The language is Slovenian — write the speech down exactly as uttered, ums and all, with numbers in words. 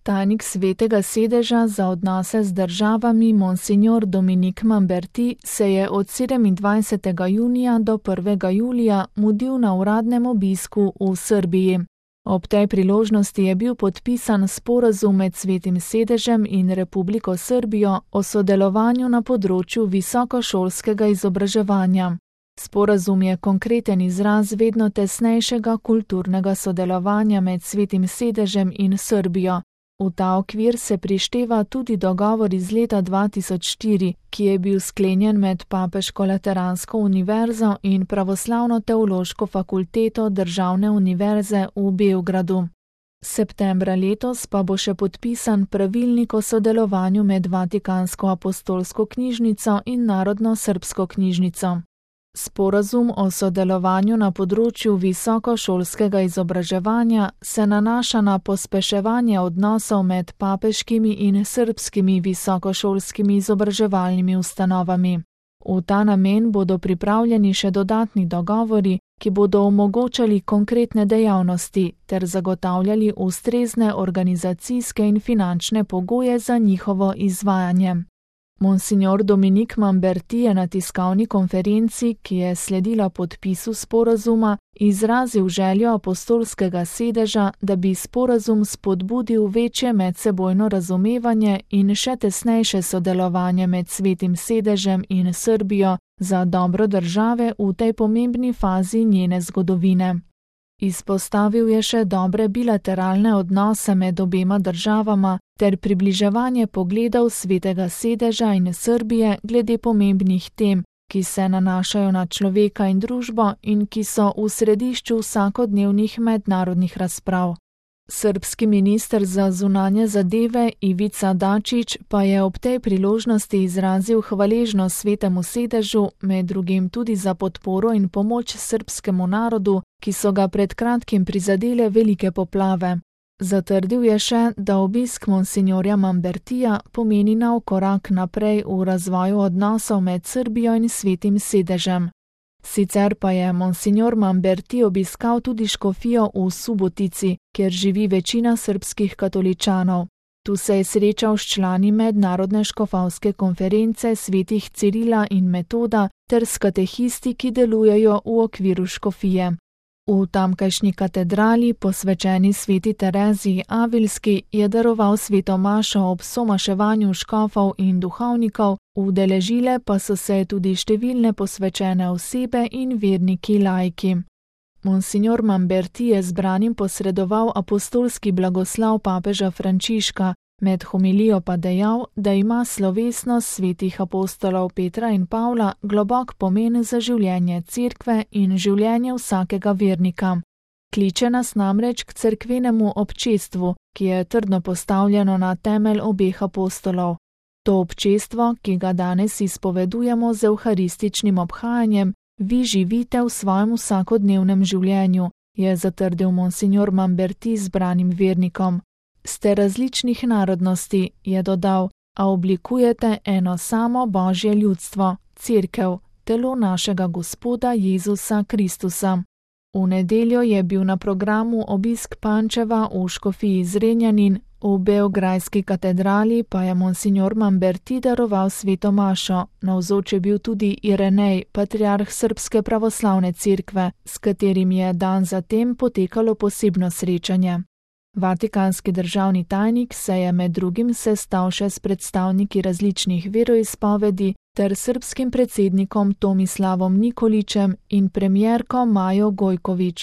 Tajnik Svetega sedeža za odnose z državami Monsignor Dominik Mamberti se je od sedemindvajsetega junija do prvega julija mudil na uradnem obisku v Srbiji. Ob tej priložnosti je bil podpisan sporazum med Svetim sedežem in Republiko Srbijo o sodelovanju na področju visokošolskega izobraževanja. Sporazum je konkreten izraz vedno tesnejšega kulturnega sodelovanja med Svetim sedežem in Srbijo. V ta okvir se prišteva tudi dogovor iz leta dva tisoč štiri, ki je bil sklenjen med Papeško lateransko univerzo in Pravoslavno teološko fakulteto Državne univerze v Beogradu. Septembra letos pa bo še podpisan pravilnik o sodelovanju med Vatikansko apostolsko knjižnico in Narodno srbsko knjižnico. Sporazum o sodelovanju na področju visokošolskega izobraževanja se nanaša na pospeševanje odnosov med papeškimi in srbskimi visokošolskimi izobraževalnimi ustanovami. V ta namen bodo pripravljeni še dodatni dogovori, ki bodo omogočali konkretne dejavnosti ter zagotavljali ustrezne organizacijske in finančne pogoje za njihovo izvajanje. Monsignor Dominik Mamberti je na tiskovni konferenci, ki je sledila podpisu sporazuma, izrazil željo apostolskega sedeža, da bi sporazum spodbudil večje medsebojno razumevanje in še tesnejše sodelovanje med Svetim sedežem in Srbijo za dobro države v tej pomembni fazi njene zgodovine. Izpostavil je še dobre bilateralne odnose med obema državama ter približevanje pogledov Svetega sedeža in Srbije glede pomembnih tem, ki se nanašajo na človeka in družbo in ki so v središču vsakodnevnih mednarodnih razprav. Srbski minister za zunanje zadeve Ivica Dačić pa je ob tej priložnosti izrazil hvaležnost Svetemu sedežu, med drugim tudi za podporo in pomoč srbskemu narodu, ki so ga pred kratkim prizadele velike poplave. Zatrdil je še, da obisk monsinjorja Mambertija pomeni nov korak naprej v razvoju odnosov med Srbijo in Svetim sedežem. Sicer pa je monsinjor Mamberti obiskal tudi škofijo v Subotici, kjer živi večina srbskih katoličanov. Tu se je srečal s člani mednarodne škofovske konference svetih Cirila in Metoda ter s katehisti, ki delujejo v okviru škofije. V tamkajšnji katedrali, posvečeni sveti Tereziji Avilski, je daroval sveto mašo ob somaševanju škofov in duhovnikov, udeležile pa so se tudi številne posvečene osebe in verniki laiki. Monsignor Mamberti je zbranim posredoval apostolski blagoslov papeža Frančiška, med homilijo pa dejal, da ima slovesnost svetih apostolov Petra in Pavla globok pomen za življenje cerkve in življenje vsakega vernika. Kliče nas namreč k cerkvenemu občestvu, ki je trdno postavljeno na temelj obeh apostolov. To občestvo, ki ga danes izpovedujemo z evharističnim obhajanjem, vi živite v svojem vsakodnevnem življenju, je zatrdil monsignor Mamberti zbranim vernikom. Ste različnih narodnosti, je dodal, a oblikujete eno samo Božje ljudstvo, cerkev, telo našega Gospoda Jezusa Kristusa. V nedeljo je bil na programu obisk Pančeva v škofiji Zrenjanin, v beograjski katedrali pa je monsignor Mamberti daroval sveto mašo, navzoč je bil tudi Irenej, patriarh Srbske pravoslavne cerkve, s katerim je dan zatem potekalo posebno srečanje. Vatikanski državni tajnik se je med drugim sestal še s predstavniki različnih veroizpovedi ter srbskim predsednikom Tomislavom Nikolićem in premierko Majo Gojković.